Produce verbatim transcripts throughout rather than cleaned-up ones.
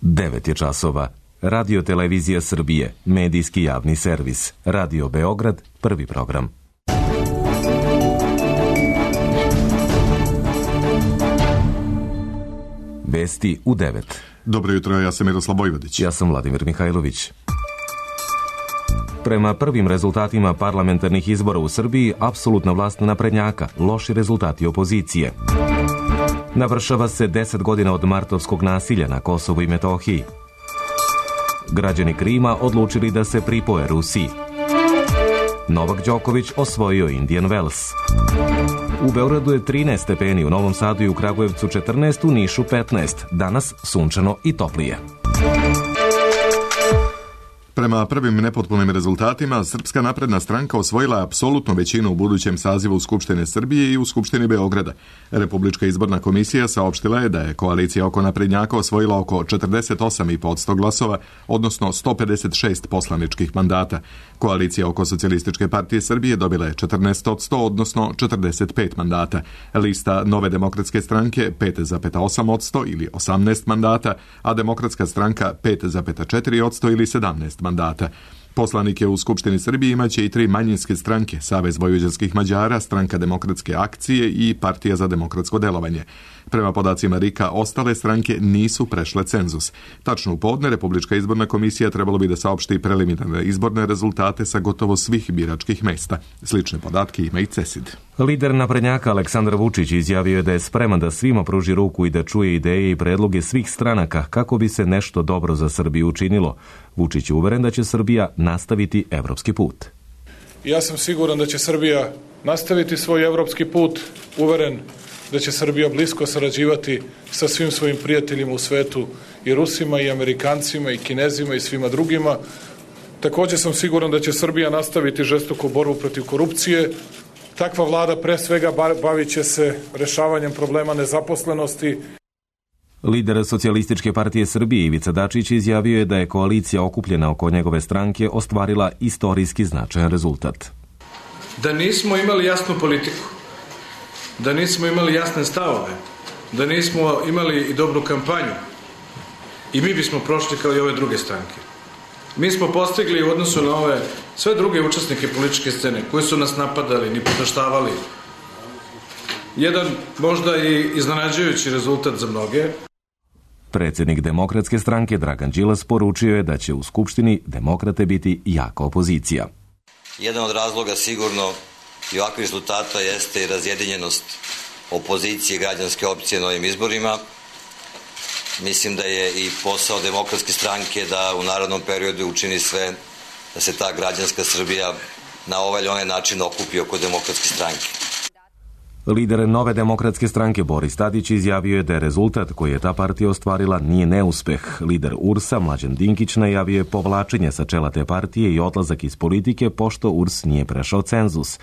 devet je časova. Radio Televizija Srbije, medijski javni servis. Radio Beograd, prvi program. Vesti u devet. Dobro jutro, ja sam Miroslav Vojvodić. Ja sam Vladimir Mihajlović. Prema prvim rezultatima parlamentarnih izbora u Srbiji, apsolutna vlast naprednjaka, loši rezultati opozicije. Navršava se deset godina od martovskog nasilja na Kosovu i Metohiji. Građani Krima odlučili da se pripoje Rusiji. Novak Đoković osvojio Indian Wells. U Beogradu je trinaest stepeni, u Novom Sadu i u Kragujevcu četrnaest, u Nišu petnaest. Danas sunčano i toplije. Prema prvim nepotpunim rezultatima, Srpska napredna stranka osvojila apsolutnu većinu u budućem sazivu Skupštine Srbije i u Skupštini Beograda. Republička izborna komisija saopštila je da je koalicija oko naprednjaka osvojila oko četrdeset osam zarez pet posto glasova, odnosno sto pedeset šest poslaničkih mandata. Koalicija oko Socijalističke partije Srbije dobila je četrnaest od sto, odnosno četrdeset pet mandata. Lista Nove demokratske stranke pet zarez osam posto ili osamnaest mandata, a Demokratska stranka pet zarez četiri posto ili sedamnaest mandata. Poslanike u Skupštini Srbije imaće i tri manjinske stranke, Savez vojvođanskih Mađara, Stranka demokratske akcije i Partija za demokratsko delovanje. Prema podacima RIK-a, ostale stranke nisu prešle cenzus. Tačno u podne, Republička izborna komisija trebalo bi da saopšti preliminarne izborne rezultate sa gotovo svih biračkih mesta. Slične podatke ima i CESID. Lider naprednjaka Aleksandar Vučić izjavio je da je spreman da svima pruži ruku i da čuje ideje i predloge svih stranaka kako bi se nešto dobro za Srbiju učinilo. Vučić je uveren da će Srbija nastaviti evropski put. Ja sam siguran da će Srbija nastaviti svoj evropski put, uveren da će Srbija blisko sarađivati sa svim svojim prijateljima u svetu, i Rusima, i Amerikancima, i Kinezima, i svima drugima. Također sam siguran da će Srbija nastaviti žestoku borbu protiv korupcije. Takva vlada pre svega bavit će se rešavanjem problema nezaposlenosti. Lider Socijalističke partije Srbije Ivica Dačić izjavio je da je koalicija okupljena oko njegove stranke ostvarila istorijski značajan rezultat. Da nismo imali jasnu politiku, da nismo imali jasne stavove, da nismo imali i dobru kampanju, i mi bismo prošli kao i ove druge stranke. Mi smo postigli u odnosu na ove sve druge učesnike političke scene koji su nas napadali, ni potaštavali, jedan možda i iznenađujući rezultat za mnoge. Predsjednik Demokratske stranke Dragan Đilas poručio je da će u Skupštini demokrate biti jaka opozicija. Jedan od razloga sigurno i ovakvih rezultata jeste i razjedinjenost opozicije i građanske opcije na ovim izborima. Mislim da je i posao Demokratske stranke da u narednom periodu učini sve da se ta građanska Srbija na ovaj ili onaj način okupi oko Demokratske stranke. Lider Nove demokratske stranke Boris Tadić izjavio je da je rezultat koji je ta partija ostvarila nije neuspeh. Lider U R S-a Mlađan Dinkić najavio je povlačenje sa čela te partije i odlazak iz politike pošto U R S nije prešao cenzus.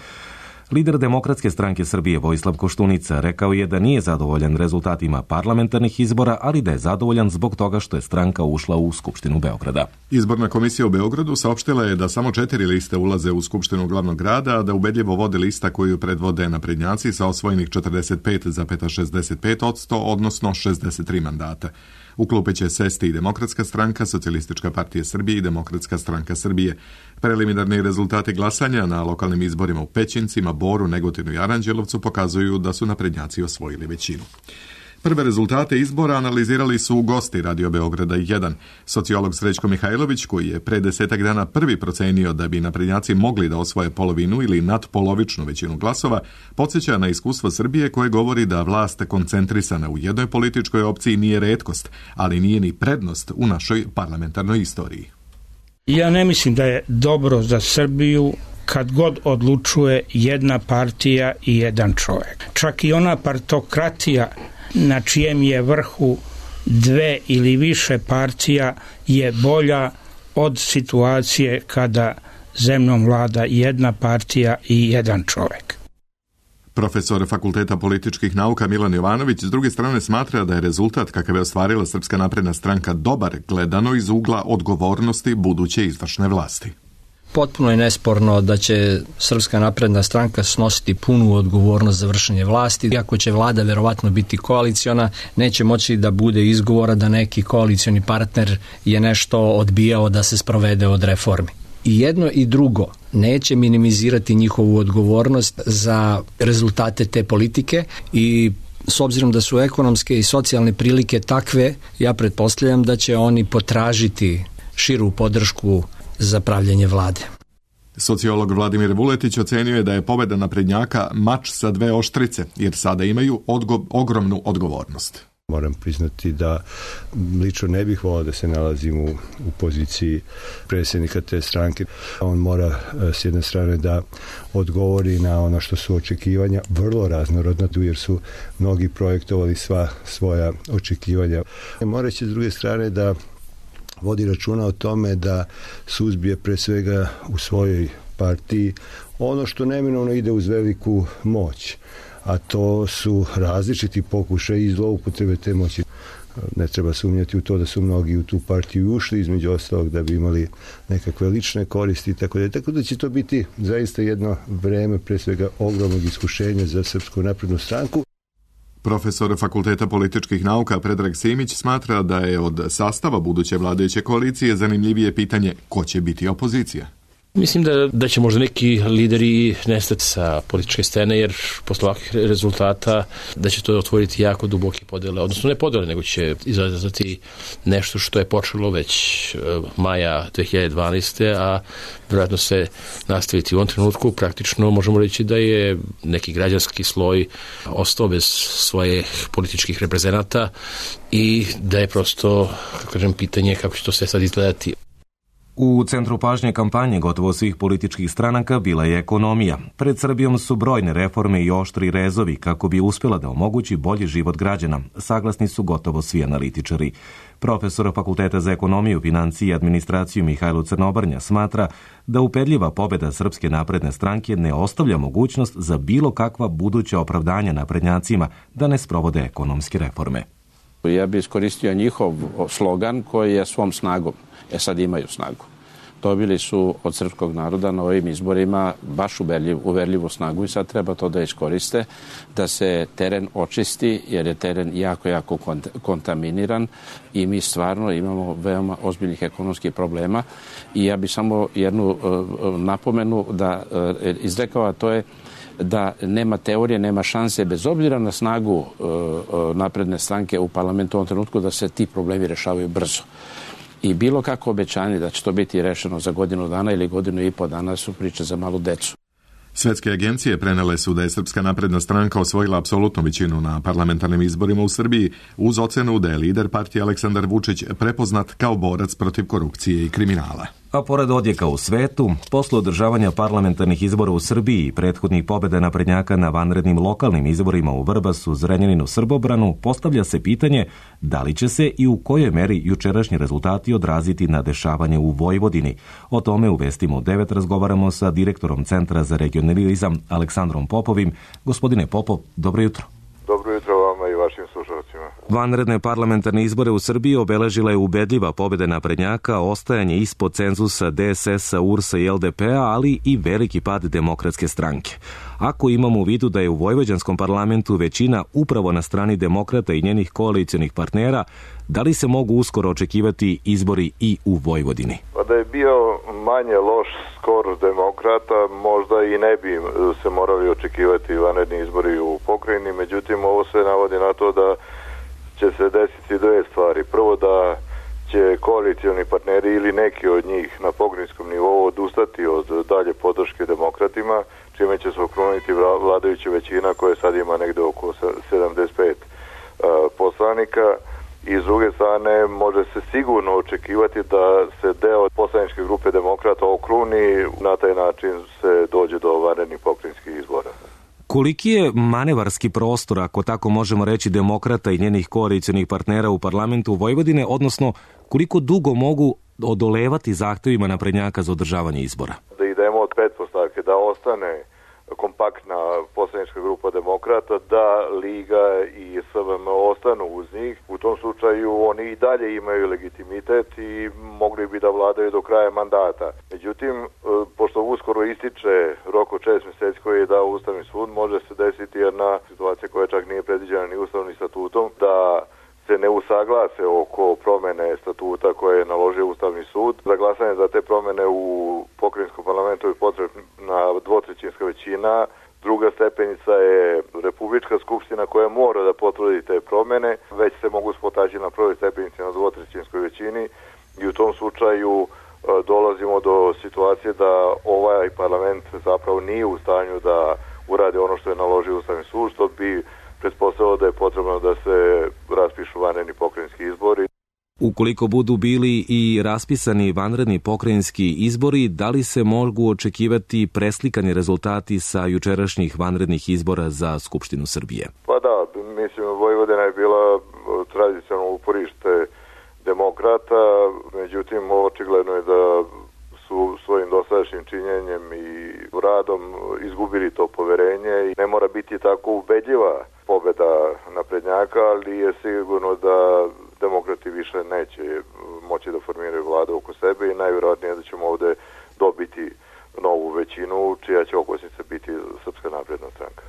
Lider Demokratske stranke Srbije Vojislav Koštunica rekao je da nije zadovoljan rezultatima parlamentarnih izbora, ali da je zadovoljan zbog toga što je stranka ušla u Skupštinu Beograda. Izborna komisija u Beogradu saopštila je da samo četiri liste ulaze u Skupštinu glavnog grada, a da ubedljivo vode lista koju predvode naprednjaci sa osvojenih četrdeset pet zarez šezdeset pet posto, odnosno šezdeset tri mandata. U klupe će sesti i Demokratska stranka, Socijalistička partija Srbije i Demokratska stranka Srbije. Preliminarni rezultati glasanja na lokalnim izborima u Pećincima, Boru, Negotinu i Aranđelovcu pokazuju da su naprednjaci osvojili većinu. Prve rezultate izbora analizirali su gosti Radio Beograda jedan. Sociolog Srećko Mihajlović, koji je pre desetak dana prvi procenio da bi naprednjaci mogli da osvoje polovinu ili nadpolovičnu većinu glasova, podsjeća na iskustvo Srbije koje govori da vlast koncentrisana u jednoj političkoj opciji nije retkost, ali nije ni prednost u našoj parlamentarnoj istoriji. Ja ne mislim da je dobro za Srbiju kad god odlučuje jedna partija i jedan čovjek. Čak i ona partokratija na čijem je vrhu dve ili više partija je bolja od situacije kada zemljom vlada jedna partija i jedan čovjek. Profesor Fakulteta političkih nauka Milan Jovanović s druge strane smatra da je rezultat kakav je ostvarila Srpska napredna stranka dobar gledano iz ugla odgovornosti buduće izvršne vlasti. Potpuno je nesporno da će Srpska napredna stranka snositi punu odgovornost za vršenje vlasti. Iako će vlada verovatno biti koaliciona, neće moći da bude izgovora da neki koalicioni partner je nešto odbijao da se sprovede od reformi. I jedno i drugo neće minimizirati njihovu odgovornost za rezultate te politike i s obzirom da su ekonomske i socijalne prilike takve, ja pretpostavljam da će oni potražiti širu podršku za pravljenje vlade. Sociolog Vladimir Vuletić ocenio je da je pobeda naprednjaka mač sa dve oštrice, jer sada imaju odgo- ogromnu odgovornost. Moram priznati da lično ne bih volao da se nalazim u, u poziciji predsjednika te stranke. On mora s jedne strane da odgovori na ono što su očekivanja vrlo raznorodna, jer su mnogi projektovali sva svoja očekivanja. Mora će s druge strane da vodi računa o tome da suzbije pre svega u svojoj partiji ono što neminovno ide uz veliku moć, a to su različiti pokušaji i zloupotrebe te moći. Ne treba sumnjati u to da su mnogi u tu partiju ušli, između ostalog da bi imali nekakve lične koristi i tako da. Tako da će to biti zaista jedno vreme pre svega ogromnog iskušenja za Srpsku naprednu stranku. Profesor Fakulteta političkih nauka Predrag Simić smatra da je od sastava buduće vladajuće koalicije zanimljivije pitanje ko će biti opozicija. Mislim da, da će možda neki lideri nestati sa političke scene, jer posle ovakvih rezultata da će to otvoriti jako duboke podele, odnosno ne podele, nego će izazvati nešto što je počelo već maja dve hiljade dvanaeste. a vjerojatno se nastaviti u ovom trenutku. Praktično možemo reći da je neki građanski sloj ostao bez svojih političkih reprezenata i da je prosto, kako kažem, pitanje kako će to sve sad izgledati. U centru pažnje kampanje gotovo svih političkih stranaka bila je ekonomija. Pred Srbijom su brojne reforme i oštri rezovi kako bi uspjela da omogući bolji život građana. Saglasni su gotovo svi analitičari. Profesor Fakulteta za ekonomiju, financije i administraciju Mihajlo Crnobrnja smatra da upedljiva pobjeda Srpske napredne stranke ne ostavlja mogućnost za bilo kakva buduća opravdanja naprednjacima da ne sprovode ekonomske reforme. Ja bih iskoristio njihov slogan koji je svom snagom. E sad imaju snagu. Dobili su od srpskog naroda na ovim izborima baš uverljiv, uverljivu snagu i sad treba to da iskoriste, da se teren očisti, jer je teren jako, jako kontaminiran i mi stvarno imamo veoma ozbiljnih ekonomskih problema. I ja bih samo jednu uh, napomenu da uh, izrekao, a to je da nema teorije, nema šanse, bez obzira na snagu uh, uh, napredne stranke u parlamentu u ovom trenutku, da se ti problemi rešavaju brzo. I bilo kako obećanje da će to biti rešeno za godinu dana ili godinu i po dana su priče za malu decu. Svetske agencije prenele su da je Srpska napredna stranka osvojila apsolutnu većinu na parlamentarnim izborima u Srbiji uz ocenu da je lider partije Aleksandar Vučić prepoznat kao borac protiv korupcije i kriminala. A pored odjeka u svetu, posle održavanja parlamentarnih izbora u Srbiji i prethodnih pobjeda naprednjaka na vanrednim lokalnim izborima u Vrbasu, Zrenjaninu, Srbobranu, postavlja se pitanje da li će se i u kojoj meri jučerašnji rezultati odraziti na dešavanje u Vojvodini. O tome u Vestima u devet razgovaramo sa direktorom Centra za regionalizam Aleksandrom Popovim. Gospodine Popov, dobro jutro. Dobro jutro vama i vašim slušalcima. Vanredne parlamentarne izbore u Srbiji obeležila je ubedljiva pobjeda naprednjaka, ostajanje ispod cenzusa D S S-a, U R S-a i L D P-a, ali i veliki pad Demokratske stranke. Ako imamo u vidu da je u vojvođanskom parlamentu većina upravo na strani demokrata i njenih koalicijonih partnera, da li se mogu uskoro očekivati izbori i u Vojvodini? Pa da je bio manje loš skor demokrata, možda i ne bi se morali očekivati vanredni izbori u pokrajini, međutim ovo se navodi na to da će se desiti dve stvari. Prvo da će koalicioni partneri ili neki od njih na pokrajinskom nivou odustati od dalje podrške demokratima, čime će se okruniti vladajuća većina koja sad ima negde oko sedamdeset pet poslanika. I s druge strane može se sigurno očekivati da se deo poslaničke grupe demokrata okruni, na taj način se dođe do vanrednih pokrajinskih izbora. Koliki je manevarski prostor, ako tako možemo reći, demokrata i njenih koalicijonih partnera u parlamentu Vojvodine, odnosno koliko dugo mogu odolevati zahtevima naprednjaka za održavanje izbora? Da idemo od pretpostavke da ostane kompaktna poslanička grupa demokrata, da Liga i S V M ostanu uz njih. U tom slučaju oni i dalje imaju legitimitet i mogli bi da vladaju do kraja mandata. Međutim, pošto uskoro ističe rok od šest mjeseci koji je dao Ustavni sud, može se desiti jedna situacija koja čak nije predviđena ni Ustavnim statutom, da se ne usaglase oko promene statuta koje je naložio Ustavni sud. Za glasanje za te promene u pokrajinskom parlamentu je potrebna dvotrećinska većina. Druga stepenica je Republička skupština koja mora da potvrdi te promene. Već se mogu spotaći na prvoj stepenici na dvotrećinskoj većini i u tom slučaju dolazimo do situacije da ovaj parlament zapravo nije u stanju da uradi ono što je naložio Ustavni sud, što bi pretpostavilo da je potrebno da se raspišu vanredni pokrajinski izbori. Ukoliko budu bili i raspisani vanredni pokrajinski izbori, da li se mogu očekivati preslikani rezultati sa jučerašnjih vanrednih izbora za Skupštinu Srbije? Pa da, mislim, Vojvodina je bila tradicionalno uporište demokrata, međutim, očigledno je da su svojim dosadašnjim činjenjem i radom izgubili to poverenje i ne mora biti tako ubedljiva pobeda naprednjaka, ali je sigurno da demokrati više neće moći da formiraju vladu oko sebe i najvjerojatnije da ćemo ovde dobiti novu većinu čija će okosnica biti Srpska napredna stranka.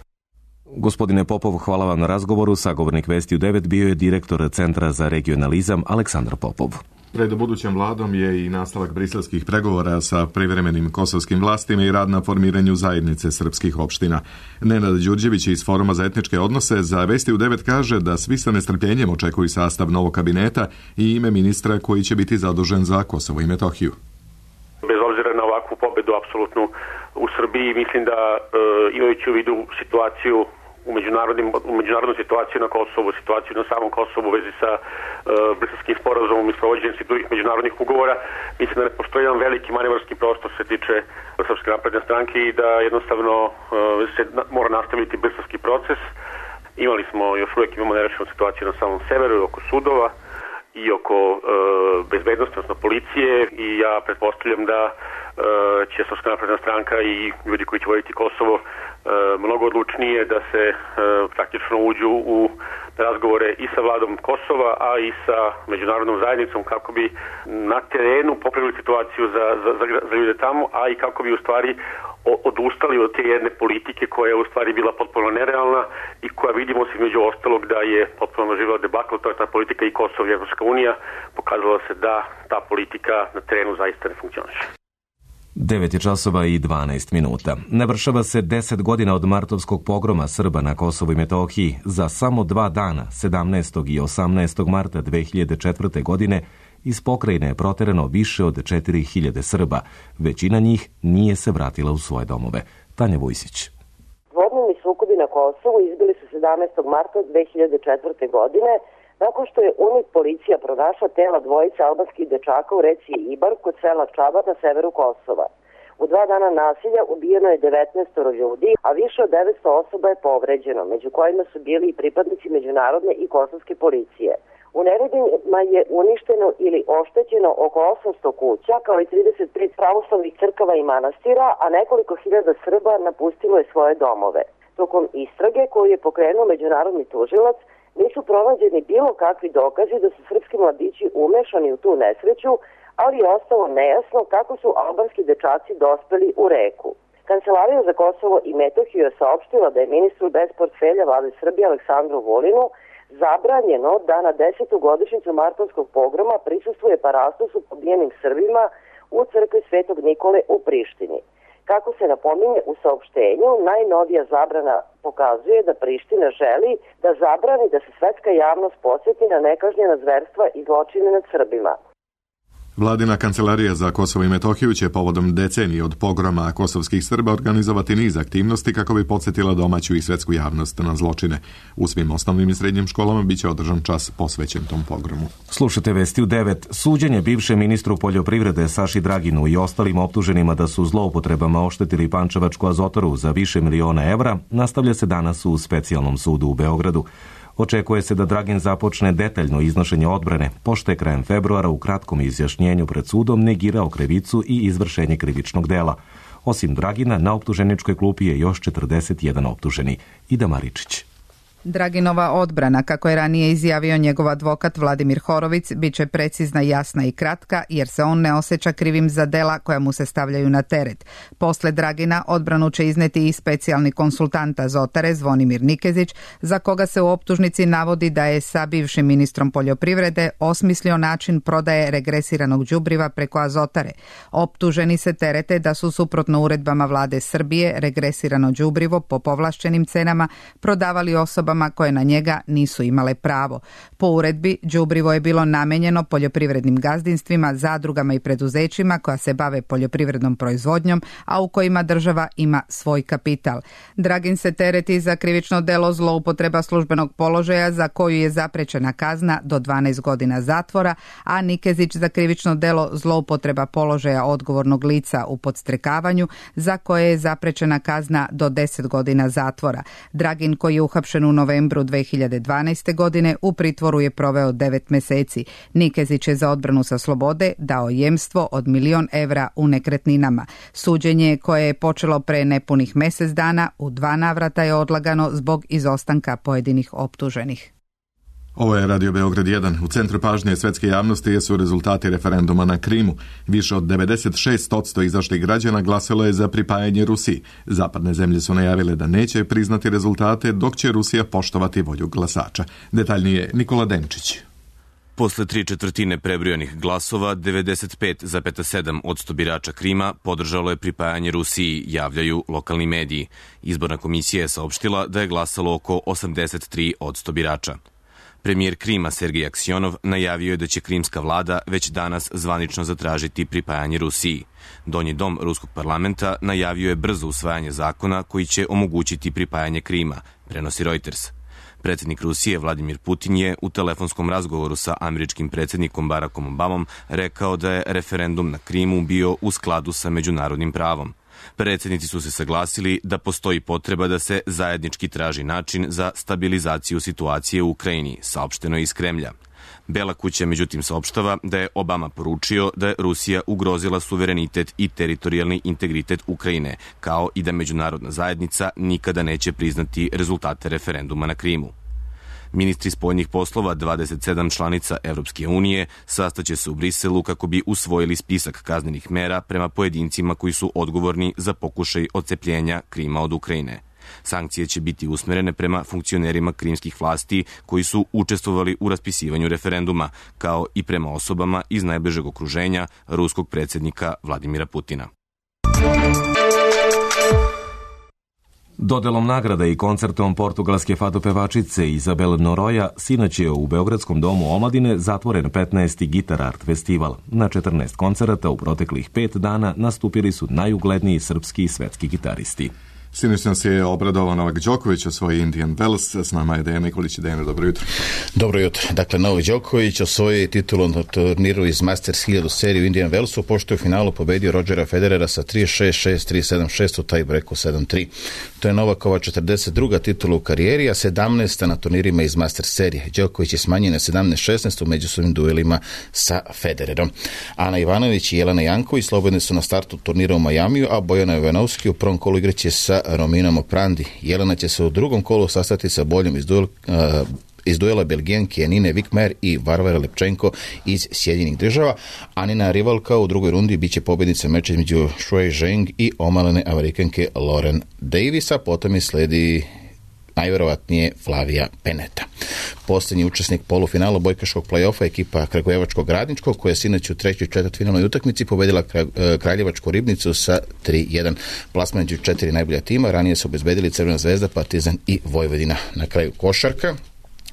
Gospodine Popov, hvala vam na razgovoru. Sagovornik Vesti u devet bio je direktor Centra za regionalizam Aleksandar Popov. Pred budućom vladom je i nastavak briselskih pregovora sa privremenim kosovskim vlastima i rad na formiranju zajednice srpskih opština. Nenad Đurđević iz Foruma za etničke odnose za Vesti u devet kaže da svi sa nestrpljenjem očekuju sastav novog kabineta i ime ministra koji će biti zadužen za Kosovo i Metohiju. Bez obzira na ovakvu pobedu apsolutnu u Srbiji, mislim da e, imajući u vidu situaciju u međunarodnim u međunarodnu situaciju na Kosovu, situaciju na samom Kosovu u vezi sa e, Briselskim sporazumom i sprovođenjem svih drugih međunarodnih ugovora, mislim da ne postoji jedan veliki manevarski prostor što se tiče Srpske napredne stranke i da jednostavno e, se na, mora nastaviti briselski proces. Imali smo, još uvijek imamo nerešenu situaciju na samom severu oko sudova i oko e, bezbednosti, odnosno policije, i ja pretpostavljam da e, će Srpska napredna stranka i ljudi koji će voditi Kosovo e, mnogo odlučnije da se e, praktično uđu u razgovore i sa vladom Kosova, a i sa međunarodnom zajednicom kako bi na terenu popravili situaciju za, za, za, za ljude tamo, a i kako bi u stvari odustali od te jedne politike koja je u stvari bila potpuno nerealna i koja vidimo se među ostalog da je potpuno živjela debakl, to je ta politika i Kosovo i Evropska unija, pokazalo se da ta politika na terenu zaista ne funkcioniše. devet je časova i dvanaest minuta. Navršava se deset godina od martovskog pogroma Srba na Kosovu i Metohiji. Za samo dva dana, sedamnaestog i osamnaestog marta dve hiljade četvrte. godine, iz pokrajine je proterano više od četiri hiljade Srba. Većina njih nije se vratila u svoje domove. Tanja Vujsić. Dvodnevni sukobi na Kosovu izbili su sedamnaestog marta dve hiljade četvrte. godine, nakon što je UNMIK policija pronašla tela dvojice albanskih dečaka u reci Ibar kod sela Čabar na severu Kosova. U dva dana nasilja ubijeno je devetnaest ljudi, a više od devetsto osoba je povređeno, među kojima su bili i pripadnici međunarodne i kosovske policije. U neredima je uništeno ili oštećeno oko osamsto kuća, kao i trideset pet pravoslavnih crkava i manastira, a nekoliko hiljada Srba napustilo je svoje domove. Tokom istrage koju je pokrenuo međunarodni tužilac, nisu pronađeni bilo kakvi dokazi da su srpski mladići umešani u tu nesreću, ali je ostalo nejasno kako su albanski dečaci dospeli u reku. Kancelarija za Kosovo i Metohiju je saopštila da je ministru bez portfelja vlade Srbije Aleksandru Vulinu zabranjeno da na desetu godišnjicu martovskog pogroma prisustvuje parastosu pobijenim Srbima u crkvi Svetog Nikole u Prištini. Kako se napominje u saopštenju, najnovija zabrana pokazuje da Priština želi da zabrani da se svetska javnost podsjeti na nekažnjena zverstva i zločine nad Srbima. Vladina kancelarija za Kosovo i Metohiju će povodom decenije od pogroma kosovskih Srba organizovati niz aktivnosti kako bi podsjetila domaću i svetsku javnost na zločine. U svim osnovnim i srednjim školama biće održan čas posvećen tom pogromu. Slušajte Vesti u devet. Suđenje bivšem ministru poljoprivrede Saši Draginu i ostalim optuženima da su zloupotrebama oštetili Pančevačku azotaru za više miliona evra nastavlja se danas u specijalnom sudu u Beogradu. Očekuje se da Dragin započne detaljno iznošenje odbrane, pošto je krajem februara u kratkom izjašnjenju pred sudom negirao krivicu i izvršenje krivičnog dela. Osim Dragina, na optuženičkoj klupi je još četrdeset jedan optuženi. Ida Maričić. Draginova odbrana, kako je ranije izjavio njegov advokat Vladimir Horovic, bit će precizna, jasna i kratka, jer se on ne osjeća krivim za dela koja mu se stavljaju na teret. Posle Dragina odbranu će izneti i specijalni konsultant Azotare Zvonimir Nikezić, za koga se u optužnici navodi da je sa bivšim ministrom poljoprivrede osmislio način prodaje regresiranog đubriva preko Azotare. Optuženi se terete da su suprotno uredbama vlade Srbije regresirano đubrivo po povlašćenim cenama prodavali osobama koje na njega nisu imale pravo. Po uredbi, đubrivo je bilo namenjeno poljoprivrednim gazdinstvima, zadrugama i preduzećima koja se bave poljoprivrednom proizvodnjom, a u kojima država ima svoj kapital. Dragin se tereti za krivično delo zloupotreba službenog položaja za koju je zaprećena kazna do dvanaest godina zatvora, a Nikezić za krivično delo zloupotreba položaja odgovornog lica u podstrekavanju za koje je zaprećena kazna do deset godina zatvora. Dragin, koji je uhapšen u novembru dve hiljade dvanaeste. godine u pritvoru je proveo devet meseci. Nikezić je za odbranu sa slobode dao jemstvo od milion evra u nekretninama. Suđenje, koje je počelo pre nepunih mesec dana, u dva navrata je odlagano zbog izostanka pojedinih optuženih. Ovo je Radio Beograd jedan. U centru pažnje svetske javnosti jesu rezultati referenduma na Krimu. Više od devedeset šest posto izašlih građana glasalo je za pripajanje Rusiji. Zapadne zemlje su najavile da neće priznati rezultate, dok će Rusija poštovati volju glasača. Detaljnije Nikola Denčić. Posle tri četvrtine prebrojanih glasova, devedeset pet zarez sedam posto birača Krima podržalo je pripajanje Rusiji, javljaju lokalni mediji. Izborna komisija je saopštila da je glasalo oko osamdeset tri posto birača. Premijer Krima Sergej Aksionov najavio je da će krimska vlada već danas zvanično zatražiti pripajanje Rusiji. Donji dom ruskog parlamenta najavio je brzo usvajanje zakona koji će omogućiti pripajanje Krima, prenosi Reuters. Predsjednik Rusije Vladimir Putin je u telefonskom razgovoru sa američkim predsjednikom Barackom Obamom rekao da je referendum na Krimu bio u skladu sa međunarodnim pravom. Predsjednici su se saglasili da postoji potreba da se zajednički traži način za stabilizaciju situacije u Ukrajini, saopšteno iz Kremlja. Bela kuća međutim saopštava da je Obama poručio da je Rusija ugrozila suverenitet i teritorijalni integritet Ukrajine, kao i da međunarodna zajednica nikada neće priznati rezultate referenduma na Krimu. Ministri spoljnih poslova dvadeset sedam članica Evropske unije sastaće se u Briselu kako bi usvojili spisak kaznenih mera prema pojedincima koji su odgovorni za pokušaj odcepljenja Krima od Ukrajine. Sankcije će biti usmerene prema funkcionerima krimskih vlasti koji su učestvovali u raspisivanju referenduma, kao i prema osobama iz najbližeg okruženja ruskog predsjednika Vladimira Putina. Dodelom nagrada i koncertom portugalske fado pevačice Izabel Noroja sinoć je u Beogradskom domu omladine zatvoren petnaesti Gitar Art festival. Na četrnaest koncerata u proteklih pet dana nastupili su najugledniji srpski i svetski gitaristi. Sinoć nas je obradovao Novak Đoković, osvoji Indian Wells. S nama je Dejan Nikolić. Dejan, dobro jutro. Dobro jutro. Dakle, Novak Đoković osvoji titulu na turniru iz Masters hiljadu seriju Indian Wellsu, pošto je u finalu pobedio Rodgera Federera sa tri šest šest tri sedam šest u tiebreaku sedam tri. To je Novakova četrdeset druga titula u karijeri, a sedamnaesta na turnirima iz Masters serije. Đoković je smanjen na sedamnaest šesnaest u međusobnim duelima sa Federerom. Ana Ivanović i Jelena Janković slobodne su na startu turnira u Majamiju, a Bojana Jovanovski u prvom kolu igraće sa Rominom Oprandi. Jelena će se u drugom kolu sastati sa boljom iz, duel, uh, iz duela Belgijanke Nine Vikmer i Varvara Lepčenko iz Sjedinjenih država. Anina rivalka u drugoj rundi biće pobjednica meča između Shui Zheng i omalene Amerikanke Lauren Davisa. Potom je sledi najvjerovatnije Flavija Peneta. Posljednji učesnik polufinala bojkaškog play-offa ekipa Kragujevačkog Radničkog, koja je sinoć u trećoj četvrtfinalnoj utakmici pobedila Kraljevačku Ribnicu sa tri jedan. Plasman među četiri najbolja tima, ranije su obezbedili Crvena zvezda, Partizan i Vojvodina. Na kraju košarka.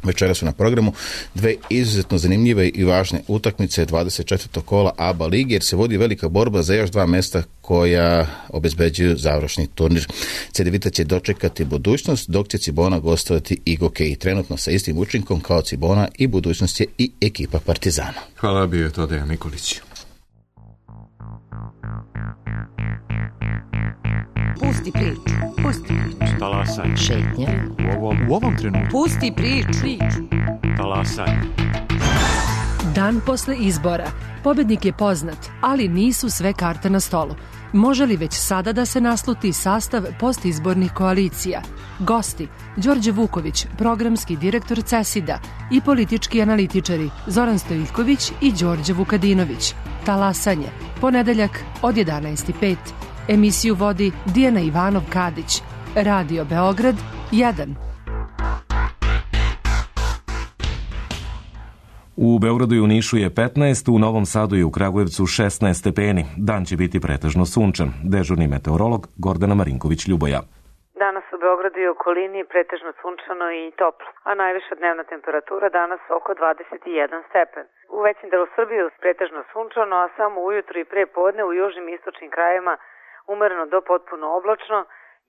Večera su na programu dve izuzetno zanimljive i važne utakmice dvadeset četvrtog kola A B A ligi, jer se vodi velika borba za još dva mesta koja obezbeđuju završni turnir. Cedevita će dočekati Budućnost, dok će Cibona gostovati Igoke, i trenutno sa istim učinkom kao Cibona i Budućnost je i ekipa Partizana. Hvala, bio je to Dejan Nikolić. Pusti priču, pusti priču. Talasaj. Šetnja. U ovom, u ovom trenutku. Pusti priču. Talasaj. Dan posle izbora. Pobednik je poznat, ali nisu sve karte na stolu. Može li već sada da se nasluti sastav postizbornih koalicija? Gosti: Đorđe Vuković, programski direktor CESID-a, i politički analitičari Zoran Stojiljković i Đorđe Vukadinović. Talasanje, ponedeljak od jedanaest i pet. Emisiju vodi Dijana Ivanov-Kadić. Radio Beograd jedan. U Beogradu i u Nišu je petnaest, u Novom Sadu i u Kragujevcu šesnaest stepeni. Dan će biti pretežno sunčan. Dežurni meteorolog Gordana Marinković-Ljuboja. Danas u Beogradu i okolini pretežno sunčano i toplo, a najviša dnevna temperatura danas oko dvadeset jedan stepen. U većem delu Srbije pretežno sunčano, a samo ujutru i pre podne u južnim i istočnim krajevima umereno do potpuno oblačno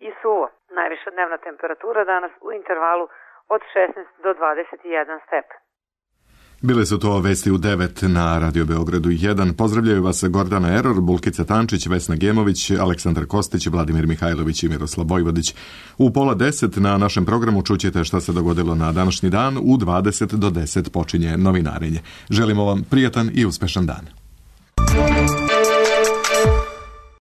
i suvo. Najviša dnevna temperatura danas u intervalu od šesnaest do dvadeset jedan stepen. Bile su to vesti u devet na Radio Beogradu jedan. Pozdravljaju vas Gordana Eror, Bulkica Tančić, Vesna Gemović, Aleksandar Kostić, Vladimir Mihajlović i Miroslav Vojvodić. U pola deset na našem programu čućete šta se dogodilo na današnji dan. U dvadeset do deset počinje novinarenje. Želimo vam prijatan i uspešan dan.